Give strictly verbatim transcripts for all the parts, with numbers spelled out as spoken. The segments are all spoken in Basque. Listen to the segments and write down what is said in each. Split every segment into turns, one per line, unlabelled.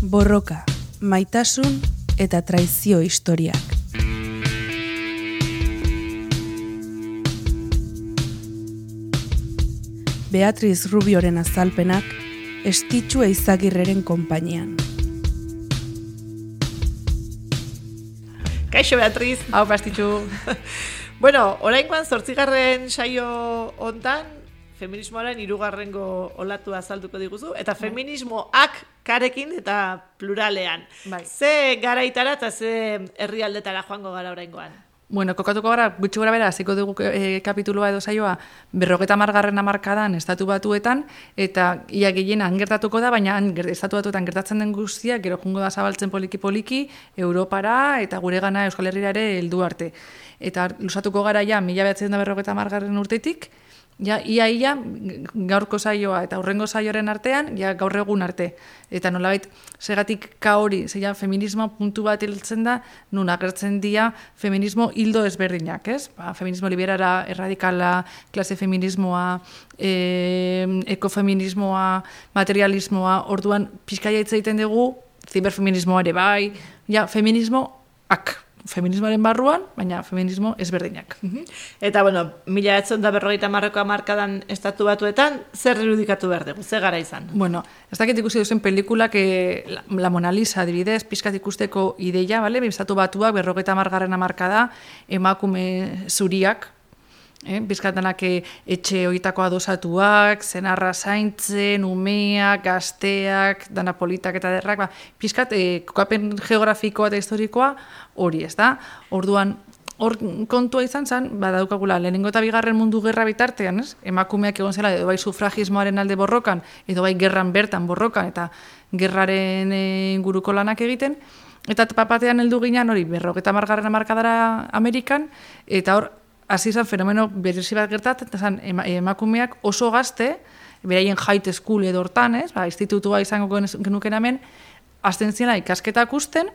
Borroka, maitasun eta traizio historiak. Beatriz Rubioren azalpenak Estitxu Eizagirreren konpainian.
Kaixo, Beatriz.
Hau, Estitxu.
Bueno, oraingoan zortzigarren saio hontan feminismoaren hirugarrengo olatu azalduko diguzu, eta feminismoak karekin eta pluralean.
Bai.
Ze garaitara eta ze herrialdetara joango gara oraingoan?
Bueno, kokatuko gara, gutxi gora bera, hasiko dugu e, kapituloa edo saioa, berrogeta margarren hamarkadan estatu batuetan, eta ia gehienan gertatuko da, baina estatu batuetan gertatzen den guztia, gero jungo da zabaltzen poliki-poliki, Europara eta gure gana Euskal Herrira ere heldu arte. Eta lusatuko gara ja, mila behatzen da berrogeta margarren urtetik, ja, ia, ia, gaurko saioa eta aurrengo saioaren artean, ja, gaur egun arte. Eta nolabait, segatik ka hori, zeia, feminismo puntu bat hiltzen da, nun agertzen dira feminismo hildo ezberdinak, ez? Ba, feminismo liberara, erradikala, klase feminismoa, e, ekofeminismoa, materialismoa, orduan, pixkaia hitz egiten dugu, ziberfeminismoa ere bai, ja, feminismoak. Feminismoaren barruan, baina feminismo ezberdinak.
Eta, bueno, mila etzen da berrogeita marreko hamarkadan estatu batuetan, zer irudikatu behar dugu, ze gara izan?
Bueno, ez dakit ikusi duzen pelikulak, eh, la, la Mona Lisa, adibidez, pixkat ikusteko ideia, bale? Estatu batuak berrogeita hamargarren hamarkada emakume zuriak, Eh, bizkatanak etxe horietako adosatuak, zenarra zaintzen, umeak, gazteak, dana politak eta derrak, ba, bizkat, eh, kokapen geografikoa eta historikoa hori, ez da? Orduan, hor kontua izan zen, badaukagula, lehenengo eta bigarren mundu gerra bitartean, ez? Emakumeak egon zela, edo bai sufragismoaren alde borrokan, edo bai gerran bertan borrokan, eta gerraren eh, inguruko lanak egiten, eta papatean heldu ginen hori, berrogeta margarren hamarkadara Amerikan, eta hor, hasi izan fenomeno berezi bat gertatzen, zan emakumeak oso gazte, beraien high school edo hortan, ez, ba, institutua izango genuken hemen, hasten ziela ikasketak usten,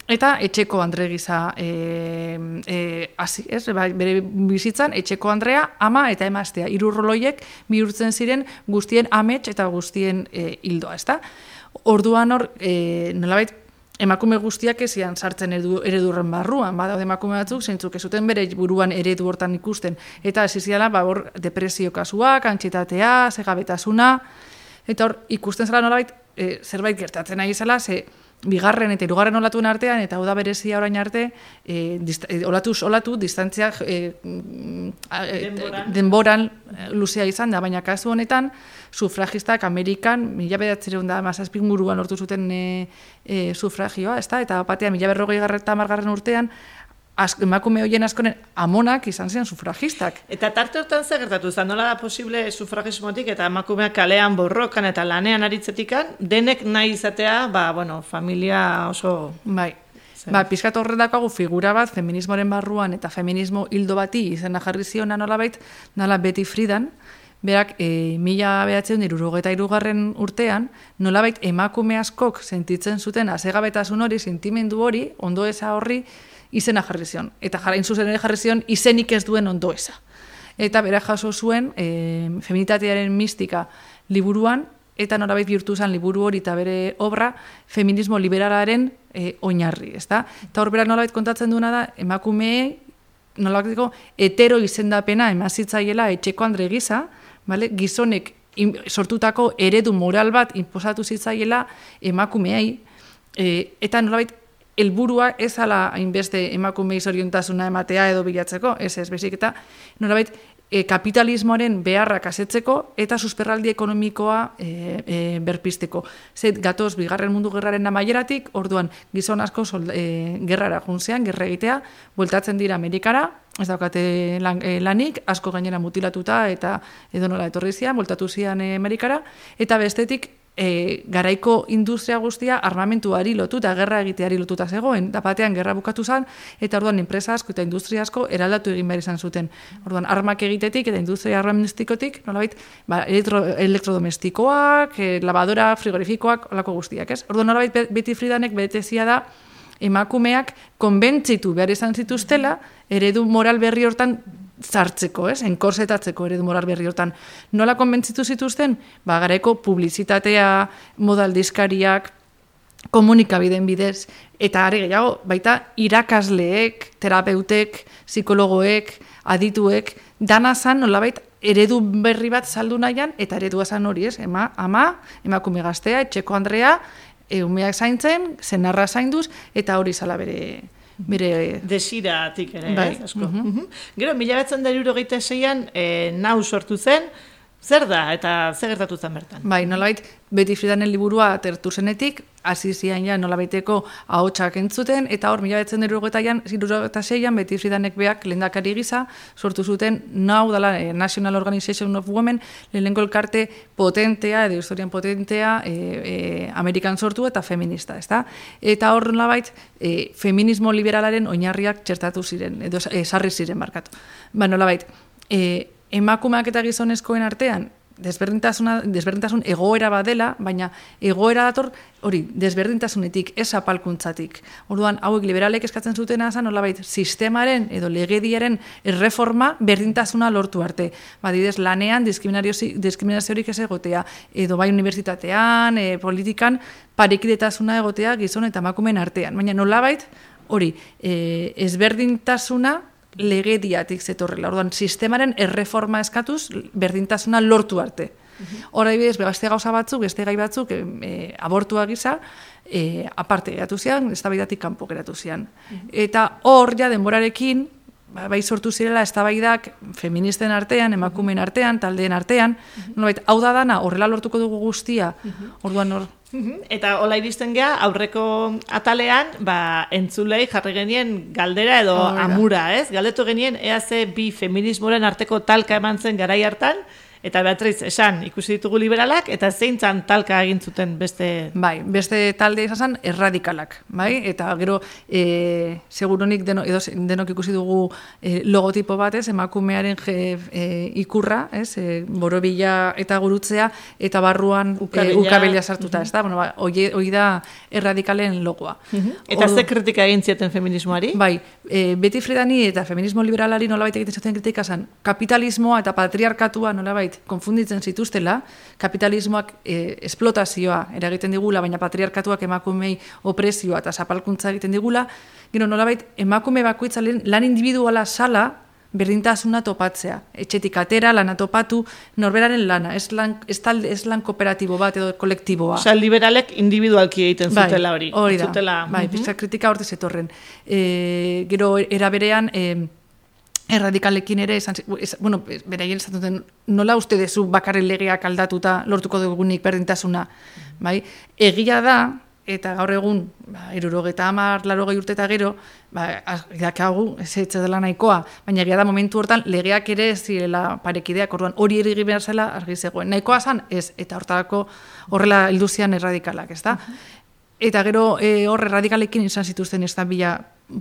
eta etxeko andre gisa e, e, hasi, ez, ba, bere bizitzan etxeko andrea, ama eta emaztea, hiru roloiek bihurtzen ziren guztien amets eta guztien e, hildoa, ezta? Orduan hor, e, nolabait, emakume guztiak ezian sartzen eredu, eredurren barruan, badaude emakume batzuk, zeintzuk ez zuten bere buruan eredu hortan ikusten. Eta ez ziala, ba, hor, depresio kasuak, antxitatea, segabetasuna, eta hor, ikusten zela nolabait, e, zerbait gertatzen nahi zela, ze bigarren eta hirugarren olatuen artean, eta hau da berezia orain arte, e, dist, e, olatuz olatu, distantzia e, denboran. denboran luzea izan da, baina kasu honetan, sufragistak Amerikan, mila bederatziehun da mazazpik guruan lortu zuten e, e, sufragioa, ezta? Eta batean, mila berrogei garreta margarren urtean, az, emakume horien askoren amonak izan ziren sufragistak.
Eta tarte hortan zer gertatu zen, nola da posible sufragismotik eta emakumeak kalean borrokan eta lanean aritzetikan, denek nahi izatea, ba, bueno, familia oso...
Bai. Ba, pixkat horretakoagu figura bat, feminismoaren barruan eta feminismo hildo bati izena jarri ziona nolabait, nola Betty Friedan, berak, e, mila behatzen hirurogeita hirugarren urtean, nolabait emakume askok sentitzen zuten azegabetasun hori, sentimendu hori, ondoeza horri, izena jarri zion. Eta jarain zuzen ere jarri zion izenik ez duen ondoeza. Eta bera jaso zuen e, feminitatearen mistika liburuan, eta nolabait bihurtu zen liburu hori eta bere obra feminismo liberalaren e, oinarri, ezta? Eta hor berak nolabait kontatzen duena da, emakumeei nolabaiteko hetero izendapena emazitzaiela etxeko andre gisa, vale? Gizonek sortutako eredu moral bat inposatu zitzaiela emakumeei, e, eta nolabait helburua ez ala hainbeste emakumei zoriontasuna ematea edo bilatzeko, ez ez, bezik eta nolabait e, kapitalismoaren beharrak asetzeko eta susperraldi ekonomikoa e, e, berpisteko. Zet gatoz bigarren mundu gerraren amaieratik, orduan gizon asko solda, e, gerrara juntzean, gerra egitea, bueltatzen dira Amerikara, ez daukate lan, e, lanik, asko gainera mutilatuta eta edo nola etorri zian, bueltatu zian e, Amerikara, eta bestetik E, garaiko industria guztia armamentuari lotuta, gerra egiteari lotuta zegoen, da batean gerra bukatu zen, eta orduan enpresa asko eta industria asko eraldatu egin behar izan zuten. Orduan armak egitetik eta industria armamentistikotik, nolabait, ba, elektro, elektrodomestikoak, e, lavadora, frigorifikoak, olako guztiak, ez? Orduan nolabait Betty Friedanek betezia da emakumeak konbentzitu behar izan zituztela, eredu moral berri hortan zartzeko, ez? Enkorsetatzeko eredu moral berri hortan. Nola konbentzitu zituzten? Ba, garaiko publizitatea, modaldizkariak, komunikabideen bidez, eta are gehiago, baita irakasleek, terapeutek, psikologoek, adituek, dana zan nolabait eredu berri bat saldu nahian, eta eredua zan hori ez, ema, ama, emakume gaztea, etxeko Andrea, umeak zaintzen, zenarra zainduz, eta hori zala bere... bere
desiratik ere,
bai.
ez, asko. Uh -huh. Gero, mila behatzen da hirurogeita seian, e, nau sortu zen, zer da, eta zer gertatu zen bertan?
Bai, nolabait, Betty Friedanen liburua atertu zenetik, hasi zian ja nolabaiteko ahotsak entzuten, eta hor, mila behatzen da hirurogeita seian, Betty Friedanek beak lehendakari gisa, sortu zuten nau dela eh, National Organization of Women, lehenengo elkarte potentea, edo historian potentea, eh, eh, Amerikan sortu eta feminista, ezta? Eta hor nolabait, eh, feminismo liberalaren oinarriak txertatu ziren, edo eh, sarri ziren barkatu. Ba, nolabait, eh, emakumeak eta gizonezkoen artean desberdintasuna, desberdintasun egoera badela, baina egoera dator hori desberdintasunetik, ez apalkuntzatik. Orduan, hauek liberalek eskatzen zutena zen, nolabait, sistemaren edo legediaren erreforma berdintasuna lortu arte. Badidez, lanean diskriminaziorik ez egotea, edo bai unibertsitatean, e, politikan, parekidetasuna egotea gizon eta emakumeen artean. Baina nolabait, hori, e, ezberdintasuna legediatik zetorrela. Orduan, sistemaren erreforma eskatuz, berdintasuna lortu arte. Hor, adibidez, beste gauza batzuk, beste gai batzuk, e, abortua gisa, e, aparte geratu zian, eztabaidatik kanpo geratu zian. Eta hor, ja, denborarekin, bai sortu zirela eztabaidak feministen artean, emakumeen artean, taldeen artean, nolabait, hau da dana, horrela lortuko dugu guztia, orduan hor.
Eta hola iristen gea, aurreko atalean, ba, entzulei jarri genien galdera edo oh, amura, ez? Galdetu genien, ea ze bi feminismoren arteko talka eman zen garai hartan, eta Beatriz, esan, ikusi ditugu liberalak, eta zeintzan talka egin zuten beste...
Bai, beste talde izan erradikalak, bai? Eta gero, e, seguronik deno, edo, denok ikusi dugu e, logotipo batez, emakumearen je, e, ikurra, ez? E, borobila eta gurutzea, eta barruan ukabila, e, ukabila sartuta, uh -huh. ez da? Bueno, ba, hoi da erradikalen logoa. Uh -huh.
Eta Ordu, ze kritika egin zieten feminismoari?
Bai, e, Betty Friedani eta feminismo liberalari nolabait egiten zuten kritika zen, kapitalismoa eta patriarkatua nolabait konfunditzen zituztela, kapitalismoak e, esplotazioa eragiten digula, baina patriarkatuak emakumei opresioa eta zapalkuntza egiten digula, gero nolabait emakume bakoitza lan individuala sala berdintasuna topatzea. Etxetik atera, lana topatu, norberaren lana, ez lan, ez talde, ez lan kooperatibo bat edo kolektiboa.
Osa, liberalek individualki egiten zutela hori.
Bai, hori da.
Zutela,
bai, uh -huh. pizka kritika horte zetorren. E, gero, era berean, e, erradikalekin ere, esan, ez, bueno, beraien esan duten, nola uste dezu bakarren legeak aldatuta lortuko dugunik berdintasuna, bai? Egia da, eta gaur egun, ba, irurogeta hamar, larogei urte eta gero, ba, idakagu, ez ez dela nahikoa, baina egia da momentu hortan legeak ere ez zirela parekideak, orduan hori erigi behar zela argi zegoen. Nahikoa zan, ez, eta hortarako horrela ilduzian erradikalak, ez da? Eta gero e, hor erradikalekin izan zituzten ez da bila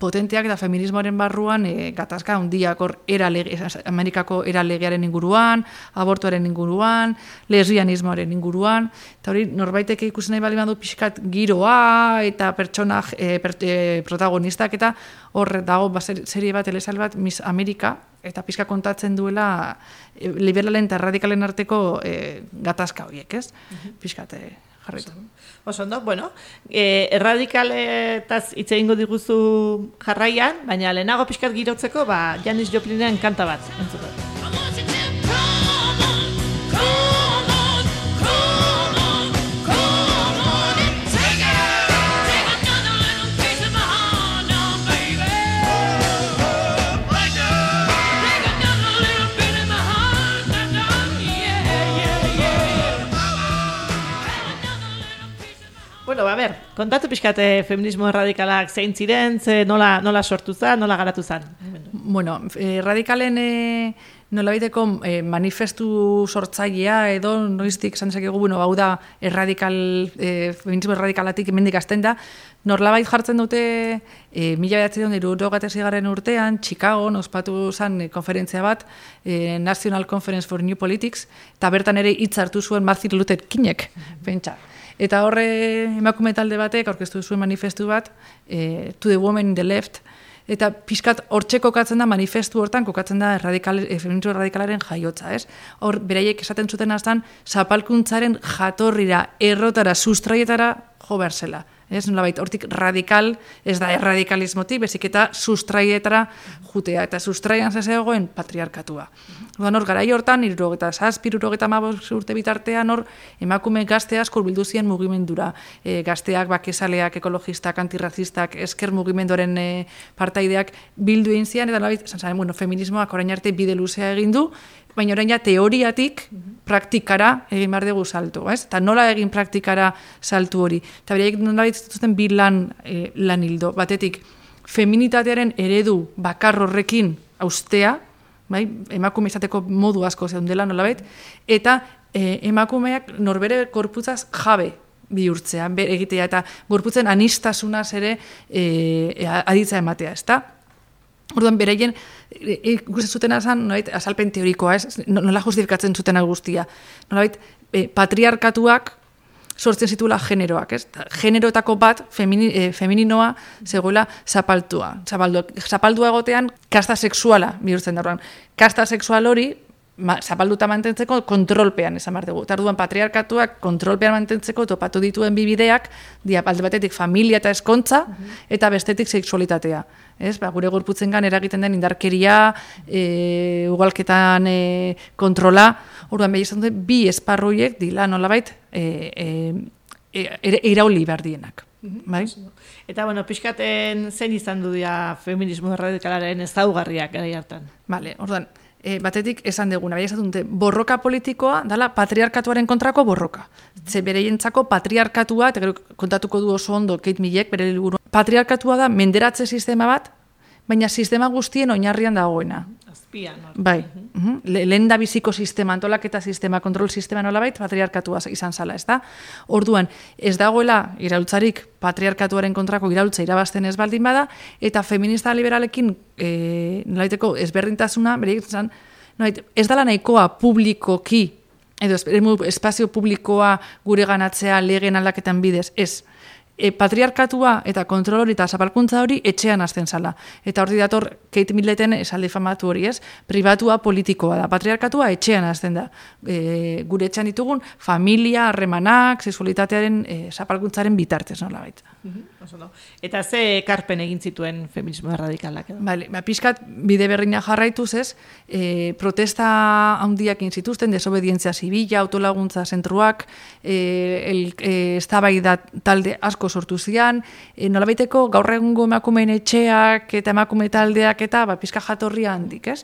potenteak eta feminismoaren barruan e, gatazka handiak hor era lege, Amerikako era legearen inguruan, abortuaren inguruan, lesbianismoaren inguruan, eta hori norbaitek ikusi nahi bali badu pixkat giroa eta pertsona e, per, e, protagonistak eta hor dago ba, serie bat, elezal bat, Miss Amerika, eta pixka kontatzen duela e, liberalen eta erradikalen arteko e, gatazka horiek, ez? Uh-huh. Pixkat e, jarritu.
Oso ondo, bueno, e, erradikaletaz hitz egingo diguzu jarraian, baina lehenago pixkat girotzeko, ba, Janis Joplinen kanta bat, entzuko. Bueno, a ver, kontatu pixkate feminismo erradikalak zein ziren, ze nola, nola sortu zen, nola garatu zen?
Bueno, erradikalen e, nolabaiteko e, manifestu sortzailea edo noiztik esan dezakegu, bueno, hau da erradikal, e, feminismo erradikalatik emendik azten da, norlabait jartzen dute e, mila bederatziehun eta hirurogeita seigarren urtean, Chicagon ospatu zen konferentzia bat, e, National Conference for New Politics, eta bertan ere hitz hartu zuen Martin Luther Kingek, pentsa. Eta horre emakume talde batek aurkeztu zuen manifestu bat, e, To the Women in the Left, eta pixkat hortxe kokatzen da manifestu hortan, kokatzen da erradikal, e, feminismo erradikalaren jaiotza, ez? Hor, beraiek esaten zuten aztan, zapalkuntzaren jatorrira, errotara, sustraietara jo behar zela. Ez, nolabait, hortik radikal, ez da erradikalismotik, bezik eta sustraietara jutea, eta sustraian zezegoen patriarkatua. Orduan hor, garai hortan, irurogeta zazpi, irurogeta hamabost urte bitartean, hor, emakume gazte asko hurbildu ziren mugimendura. E, gazteak, bakezaleak, ekologistak, antirrazistak, esker mugimenduaren e, partaideak bildu egin zian, eta nolabait, zan, bueno, feminismoak orain arte bide luzea egin du, baina orain ja teoriatik praktikara egin behar dugu salto, ez? Eta nola egin praktikara saltu hori. Eta bereik nolabait zituzten bi lan, e, lan hildo. Batetik, feminitatearen eredu bakar horrekin austea, bai? Emakume izateko modu asko zeundela nolabait, eta e, emakumeak norbere korputzaz jabe bihurtzea, egitea, eta gorputzen anistasunaz ere e, aditza ematea, ezta? Orduan, beraien, ikusten zutena zen, nolabait, azalpen teorikoa, ez? Nola justifikatzen zuten guztia. Nolabait, e, patriarkatuak sortzen zituela generoak, ez? Generoetako bat, femini, e, femininoa, zegoela zapaltua. Zapaldua, zapaldua egotean, kasta sexuala bihurtzen da. Kasta sexual hori, ma, zapalduta mantentzeko kontrolpean esan behar dugu. Tarduan patriarkatuak kontrolpean mantentzeko topatu dituen bibideak, dia alde batetik familia eta eskontza, eta bestetik sexualitatea. Ez, ba, gure gorputzengan eragiten den indarkeria, e, ugalketan e, kontrola, orduan behi izan dute, bi esparruiek dila nolabait e, e, e, irauli behar dienak. Bai?
Eta, bueno, pixkaten zen izan du dira feminismo radikalaren ezaugarriak gara hartan.
Vale, orduan, e, batetik esan deguna, bai esan dute, borroka politikoa dala patriarkatuaren kontrako borroka. Ze bereientzako patriarkatua, eta gero kontatuko du oso ondo Kate Millek, bere liburu, patriarkatua da menderatze sistema bat, baina sistema guztien oinarrian dagoena.
Azpian.
Bai. Uh-huh. Lehen da biziko sistema, antolaketa sistema, kontrol sistema nolabait, patriarkatua izan zala, ez da? Orduan, ez dagoela iraultzarik patriarkatuaren kontrako iraultza irabazten ez baldin bada, eta feminista liberalekin e, nolaiteko ezberdintasuna, bereik zan, nolait, ez dala nahikoa publikoki, edo espazio publikoa gure ganatzea legen aldaketan bidez, ez. E, patriarkatua eta kontrol hori eta zapalkuntza hori etxean hasten zala. Eta hori dator Kate Milleten esaldi famatu hori, ez? Pribatua politikoa da. Patriarkatua etxean hasten da. E, gure etxean ditugun familia, harremanak, sexualitatearen e, zapalkuntzaren bitartez, nola baita.
Uh-huh. Eta ze ekarpen egin zituen feminismo erradikalak edo?
Bale, ba, pixkat bide berrina jarraituz, ez? E, protesta handiak egin zituzten, desobedientzia zibila, autolaguntza zentruak, e, el, e, eztabaida talde asko sortu zian, e, nolabaiteko gaur egungo emakumeen etxeak eta emakume taldeak eta ba, pizka jatorria handik, ez?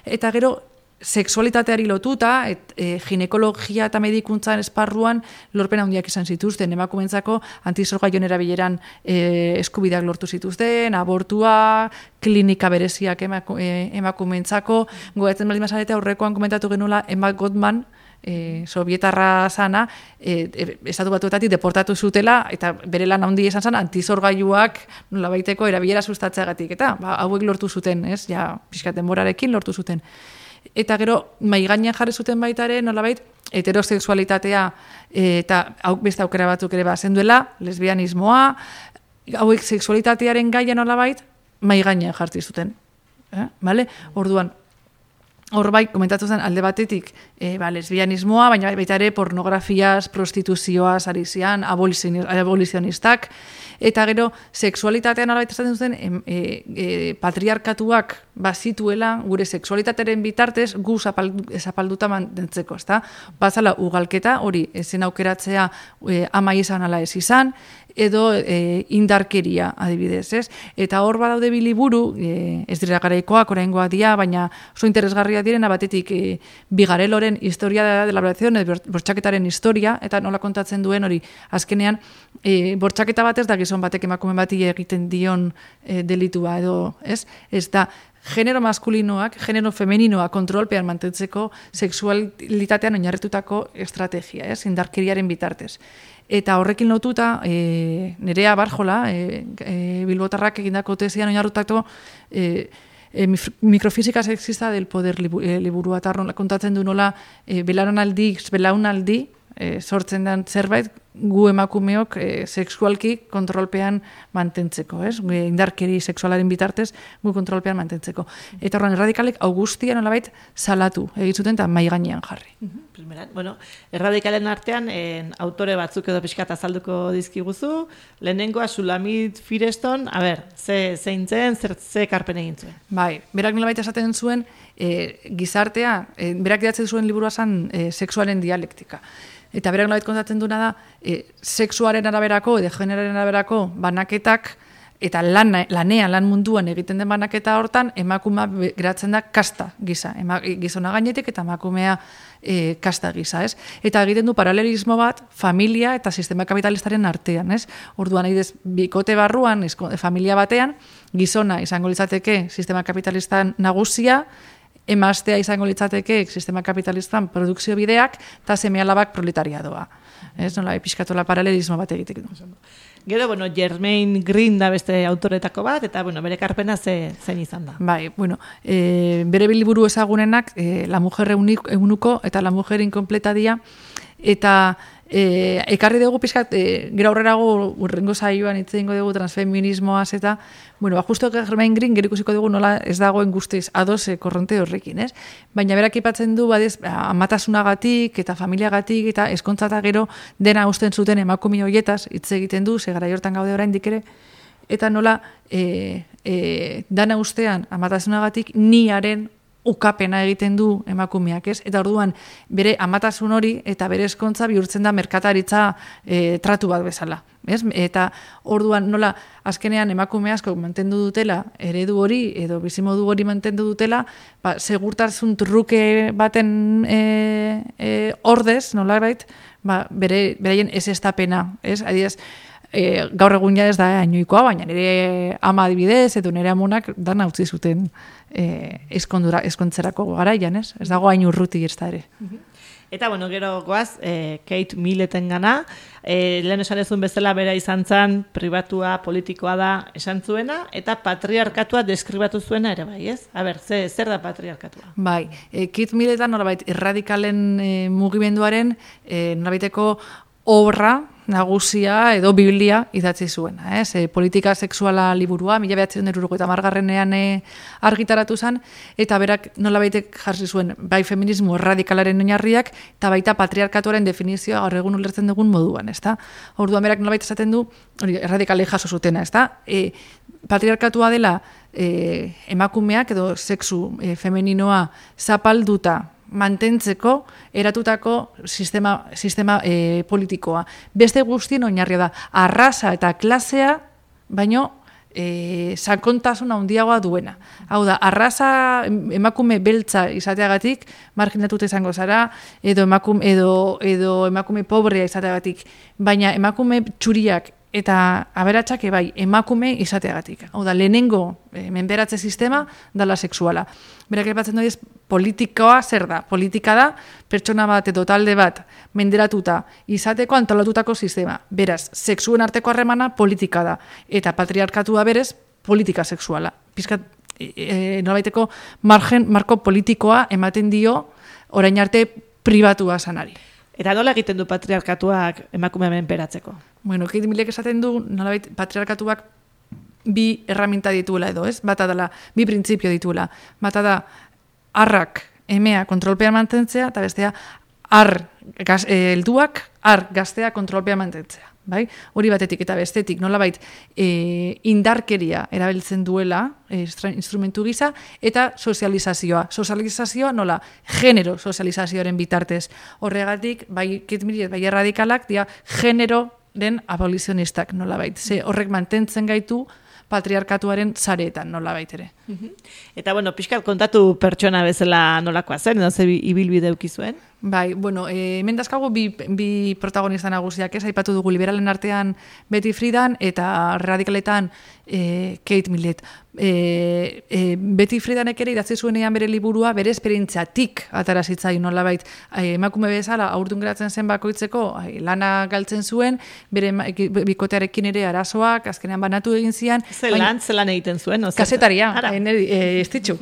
Eta gero, sexualitateari lotuta, et, e, ginekologia eta medikuntzan esparruan lorpen handiak izan zituzten, emakumeentzako antizorgaion erabileran e, eskubideak lortu zituzten, abortua, klinika bereziak emaku, e, emakumeentzako, gogatzen baldin mazarete aurrekoan komentatu genuela Emma Goldman, E, sovietarra zana, e, e, estatu batuetatik deportatu zutela, eta bere lan handi esan zen, antizorgailuak nolabaiteko erabilera sustatzeagatik, eta ba, hauek lortu zuten, ez, ja, pixkat denborarekin lortu zuten. Eta gero, maigainean jarri zuten baitare, nolabait, heterosexualitatea, e, eta hau beste aukera batzuk ere bazenduela, lesbianismoa, hauek sexualitatearen gaia nolabait, maigainean jarri zuten. Eh? Vale? Orduan, hor bai, komentatu zen alde batetik e, ba, lesbianismoa, baina baita ere pornografiaz, prostituzioaz, ari zian, abolizionistak, eta gero, sexualitatean alabait esaten zuten, e, e, patriarkatuak bazituela gure sexualitatearen bitartez gu zapaldu, zapalduta mantentzeko, ezta? Bazala ugalketa, hori, ezen aukeratzea e, ama izan ala ez izan, edo e, indarkeria adibidez, ez? Eta hor badaude bi liburu, e, ez dira garaikoak, oraingoak dira, baina oso interesgarria direna batetik e, Bigareloren historia de la elaboración, bortxaketaren historia, eta nola kontatzen duen hori, azkenean, e, bortxaketa batez da gizon batek emakume bati egiten dion e, delitua edo, ez? Ez da, genero maskulinoak, genero femeninoak kontrolpean mantentzeko sexualitatean oinarritutako estrategia, ez? Indarkeriaren bitartez. Eta horrekin lotuta, e, Nerea Barjola, e, e, Bilbotarrak egindako tesian oinarritutako e, e, mikrofisika sexista del poder liburua, eta kontatzen du nola e, belaunaldi, belaunaldi e, sortzen den zerbait gu emakumeok e, sexualki kontrolpean mantentzeko, ez? Indarkeri sexualaren bitartez gu kontrolpean mantentzeko. Eta horren erradikalek augustia nolabait salatu egitzuten eta mai gainean jarri.
Primeran, bueno, erradikalen artean en, autore batzuk edo pixkat azalduko dizkiguzu, lehenengoa Sulamit Firestone, a ber, ze zein zen, zer ze karpen egin zuen.
Bai, berak nolabait esaten zuen e, gizartea, e, berak idatzen zuen liburua zen e, sexualen dialektika. Eta berak nolabait kontatzen duena da, e, sexuaren araberako, edo generaren araberako banaketak, eta lan, lanean, lan munduan egiten den banaketa hortan, emakumea geratzen da kasta gisa. Ema, gizona gainetik eta emakumea e, kasta gisa, ez? Eta egiten du paralelismo bat familia eta sistema kapitalistaren artean, ez? Orduan, adibidez, bikote barruan, esko, familia batean, gizona izango litzateke sistema kapitalistan nagusia, emaztea izango litzateke sistema kapitalistan produkzio bideak, eta seme-alabak proletariadoa. Ez, nola, pixkatola paralelismo bat egitek du.
Gero, bueno, Germaine Greene da beste autoretako bat, eta, bueno, bere karpena ze, zein izan da.
Bai, bueno, e, bere biliburu ezagunenak, e, La mujer eunuko eta La mujer incompleta dia, eta e, ekarri dugu pixkat, e, gero aurrerago urrengo saioan hitz egingo dugu transfeminismoaz, eta, bueno, ba, justo Germaine Greene gero ikusiko dugu nola ez dagoen guztiz ados e, korronte horrekin, ez? Baina berak ipatzen du, badez, amatasunagatik eta familiagatik eta eskontza eta gero dena usten zuten emakume hoietaz hitz egiten du, ze garai hortan gaude oraindik ere, eta nola e, e, dana ustean amatasunagatik niaren ukapena egiten du emakumeak, ez? Eta orduan bere amatasun hori eta bere eskontza bihurtzen da merkataritza e, tratu bat bezala, ez? Eta orduan nola azkenean emakume asko mantendu dutela eredu hori edo bizimodu hori mantendu dutela, ba, segurtasun truke baten e, e, ordez, nolabait, ba, bere beraien ezestapena, ez? Adibidez, E, gaur egun ja ez da hainoikoa, baina nire ama adibidez, edo nire amonak dana utzi zuten e, eskondura, eskontzerako garaian, ez? Ez dago hain urruti ez da ere.
Eta, bueno, gero goaz, e, Kate Milleten gana, e, lehen esan ezun bezala bera izan zen, pribatua, politikoa da esan zuena, eta patriarkatua deskribatu zuena ere bai, ez? A ber, ze, zer da patriarkatua?
Bai, e, Kate Milletan norabait erradikalen e, mugimenduaren e, norabaiteko obra nagusia edo biblia idatzi zuena, ez? E, politika sexuala liburua, mila bederatziehun eta hirurogeita hamargarrenean e, argitaratu zen, eta berak nolabaitek jarri zuen bai feminismo erradikalaren oinarriak eta baita patriarkatuaren definizioa gaur egun ulertzen dugun moduan, ezta? Orduan berak nolabait esaten du, hori erradikalei jaso zutena, ezta? E, patriarkatua dela e, emakumeak edo sexu e, femeninoa zapalduta mantentzeko eratutako sistema, sistema e, politikoa. Beste guztien oinarria da, arrasa eta klasea, baino e, sakontasuna handiagoa duena. Hau da, arrasa emakume beltza izateagatik, marginatuta izango zara, edo emakume, edo, edo emakume pobrea izateagatik, baina emakume txuriak eta aberatsak bai emakume izateagatik. Hau da, lehenengo e, menperatze sistema dala sexuala. Berak aipatzen du politikoa zer da? Politika da pertsona bat edo talde bat menderatuta izateko antolatutako sistema. Beraz, sexuen arteko harremana politika da eta patriarkatua berez politika sexuala. Pizkat e, e, nolabaiteko margen marko politikoa ematen dio orain arte pribatua sanari.
Eta nola egiten du patriarkatuak emakume menperatzeko?
Bueno, Kate Millek esaten du, nolabait patriarkatuak bi erraminta dituela edo, ez? Bata dela, bi printzipio dituela. Bata da, arrak, emea kontrolpean mantentzea, eta bestea, ar, gaz, eh, helduak, ar, gaztea kontrolpean mantentzea. Bai? Hori batetik eta bestetik, nolabait e, indarkeria erabiltzen duela e, instrumentu gisa, eta sozializazioa. Sozializazioa nola, genero sozializazioaren bitartez. Horregatik, bai Kate Millett, bai erradikalak, dia generoren abolizionistak nolabait. Ze horrek mantentzen gaitu patriarkatuaren sareetan nolabait ere.
Eta, bueno, pixkat kontatu pertsona bezala nolakoa zen, edo ze ibilbide eduki zuen?
Bai, bueno, e, hemen dazkagu bi, bi protagonista nagusiak, ez, aipatu dugu liberalen artean Betty Friedan eta radikaletan e, Kate Millett. E, e, Betty Friedanek ere idatzi zuenean bere liburua bere esperientziatik atara zitzaion nolabait. E, emakume bezala aurdun geratzen zen bakoitzeko ai, lana galtzen zuen, bere bikotearekin ere arazoak azkenean banatu egin zian.
Zelan, zelan egiten zuen? No?
Kasetaria, e, ez ditxu.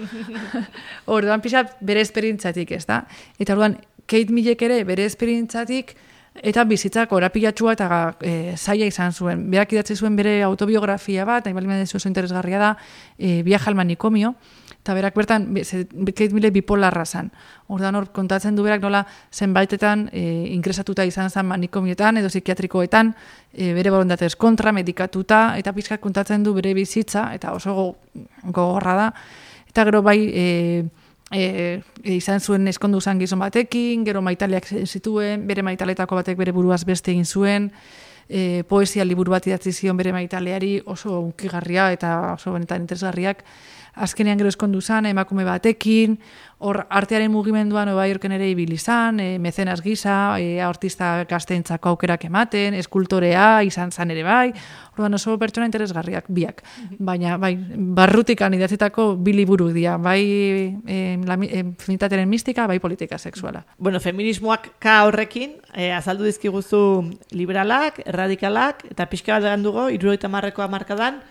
Orduan pixat bere esperientziatik, ez da? Eta orduan Kate Millek ere bere esperientzatik eta bizitzak orapilatxua eta e, zaila izan zuen. Berak idatzi zuen bere autobiografia bat, nahi bali medezu oso interesgarria da, e, Viaje al manicomio, eta berak bertan, Kate Millett bipolarra zan. Ordan hor kontatzen du berak nola zenbaitetan e, ingresatuta izan zen manikomioetan edo psikiatrikoetan, e, bere borondatez kontra, medikatuta, eta pixkat kontatzen du bere bizitza, eta oso gogorra da. Eta gero bai, e, e, izan zuen eskondu zan gizon batekin, gero maitaleak zituen, bere maitaletako batek bere buruaz beste egin zuen, e, poesia liburu bat idatzi zion bere maitaleari, oso unkigarria eta oso benetan interesgarriak. Azkenean gero eskondu zan, emakume batekin, hor artearen mugimenduan Nova Yorken ere ibili zan, e, mecenas gisa, e, artista gazteentzako aukerak ematen, eskultorea izan zan ere bai, orduan oso pertsona interesgarriak biak. Baina bai, barrutikan idatzitako bi liburu dira, bai e, la, e, feminitatearen mistika, bai politika sexuala.
Bueno, feminismoak ka horrekin, e, azaldu dizkiguzu liberalak, erradikalak, eta pixka bat dugu, hirurogeita hamarreko hamarkadan,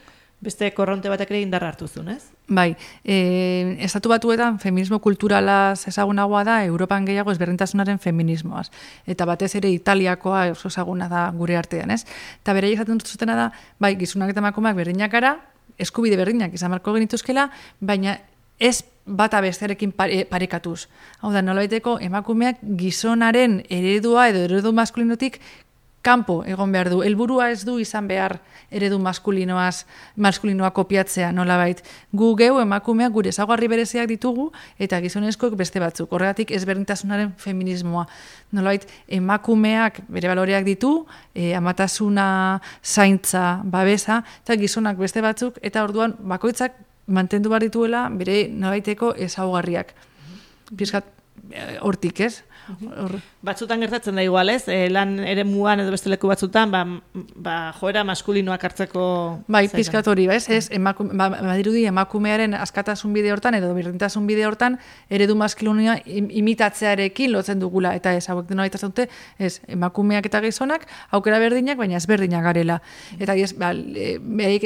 beste korronte batek ere indarra hartu zuen, ez?
Bai, e, estatu batuetan feminismo kulturalaz ezagunagoa da, Europan gehiago ezberdintasunaren feminismoaz. Eta batez ere Italiakoa oso ezaguna da gure artean, ez? Eta bere izaten zutena da, bai, gizonak eta emakumeak berdinak gara, eskubide berdinak izan marko genituzkela, baina ez bata bestearekin pare, parekatuz. Hau da, nolabaiteko emakumeak gizonaren eredua edo eredu maskulinotik kanpo egon behar du. Helburua ez du izan behar eredu maskulinoaz, maskulinoa kopiatzea nolabait. Gu geu emakumeak gure ezaugarri bereziak ditugu eta gizonezkoek beste batzuk. Horregatik ezberdintasunaren feminismoa. Nolabait emakumeak bere baloreak ditu, e, amatasuna, zaintza, babesa, eta gizonak beste batzuk, eta orduan bakoitzak mantendu behar dituela bere nolabaiteko ezaugarriak. Piskat hortik, ez?
Or... Batzutan gertatzen da igual, ez? E, lan ere muan edo beste leku batzutan, ba, ba joera maskulinoak hartzeko...
Bai, pizkat hori, ez? Ez, emakume, ba, badirudi emakumearen askatasun bide hortan edo berdintasun bide hortan eredu maskulinoa imitatzearekin lotzen dugula, eta ez, hauek dena baita zaute, ez, emakumeak eta gizonak, aukera berdinak, baina ez berdinak garela. Eta ez, ba,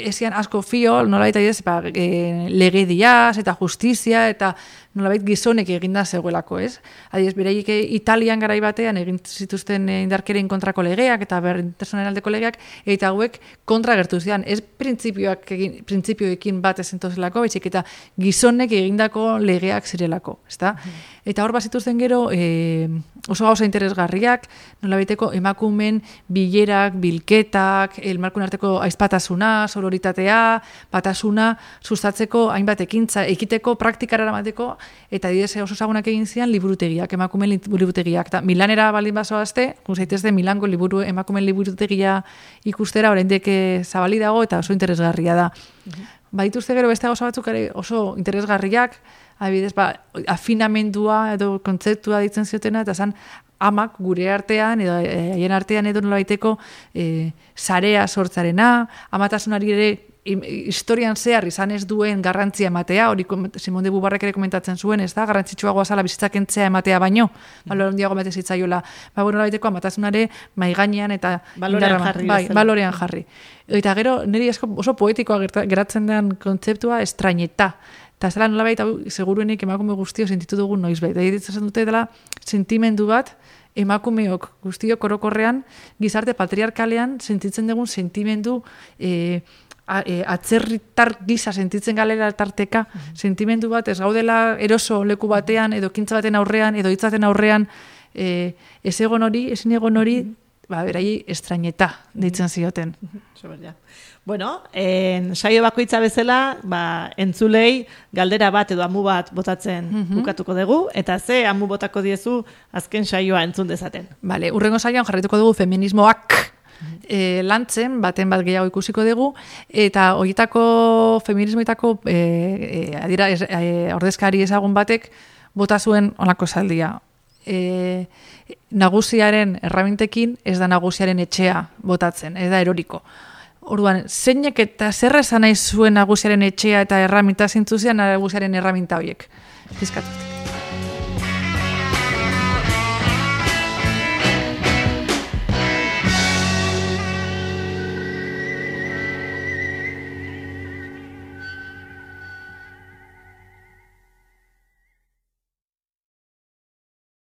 ezian asko fio, nolabait ez, ba, e, legediaz eta justizia, eta nolabait gizonek eginda zegoelako, ez? Adiez, bereik Italian garai batean egin zituzten indarkerien kontrako legeak eta berdintasunaren aldeko legeak, eta hauek kontra gertu zidan. Ez printzipioak egin, printzipioekin bat ezentozelako, baizik eta gizonek egindako legeak zirelako, ezta? Mm. Eta hor bazituzten gero e, oso gauza interesgarriak, nolabaiteko emakumen bilerak, bilketak, elmarkun arteko aizpatasuna, sororitatea, batasuna, sustatzeko hainbat ekintza, ekiteko, praktikara eramateko, eta didez oso zagunak egin zian liburutegiak, emakumen liburutegiak. Ta, Milanera baldin bazoazte, guzaitezde Milango liburu, emakumen liburutegia ikustera, oraindik zabali dago eta oso interesgarria da. Uh-huh. Badituzte gero beste gauza batzuk ere oso interesgarriak, adibidez, ba, afinamendua edo kontzeptua ditzen ziotena, eta zan amak gure artean, edo haien artean edo nolabaiteko e, sarea sortzarena, amatasunari ere historian zehar izan ez duen garrantzia ematea, hori Simon de Beauvoirrek ere komentatzen zuen, ez da, garrantzitsuagoa zala bizitzak entzea ematea baino, balor handiago emate zitzaiola, ba, bueno, nolabaiteko amatasunare maigainean eta
balorean jarri.
Bai, balorean jarri. Eta gero, niri oso poetikoa geratzen den kontzeptua estraineta. Eta zela nolabait, hau, seguruenik emakume guztio sentitu dugu noizbait. Eta ditzen dute dela sentimendu bat, emakumeok guztiok orokorrean, gizarte patriarkalean sentitzen dugun sentimendu e, a, e, atzerritar gisa sentitzen galera tarteka, mm-hmm. sentimendu bat ez gaudela eroso leku batean, edo kintza baten aurrean, edo hitzaten aurrean, e, ez egon hori, ezin egon hori, mm-hmm. ba, berai estraineta deitzen zioten.
Mm-hmm. Bueno, en, saio bakoitza bezala, ba, entzulei galdera bat edo amu bat botatzen mm-hmm. bukatuko dugu, eta ze amu botako diezu azken saioa entzun dezaten.
Vale, urrengo saioan jarrituko dugu feminismoak mm-hmm. e, lantzen, baten bat gehiago ikusiko dugu, eta horietako feminismoetako e, e, adira, ez, e, ordezkari ezagun batek bota zuen olako saldia. E, nagusiaren erramintekin ez da nagusiaren etxea botatzen, ez da eroriko. Orduan, zeinek eta zer esan nahi zuen nagusiaren etxea eta erraminta zintzuzian nagusiaren erraminta horiek. Fiskatuz.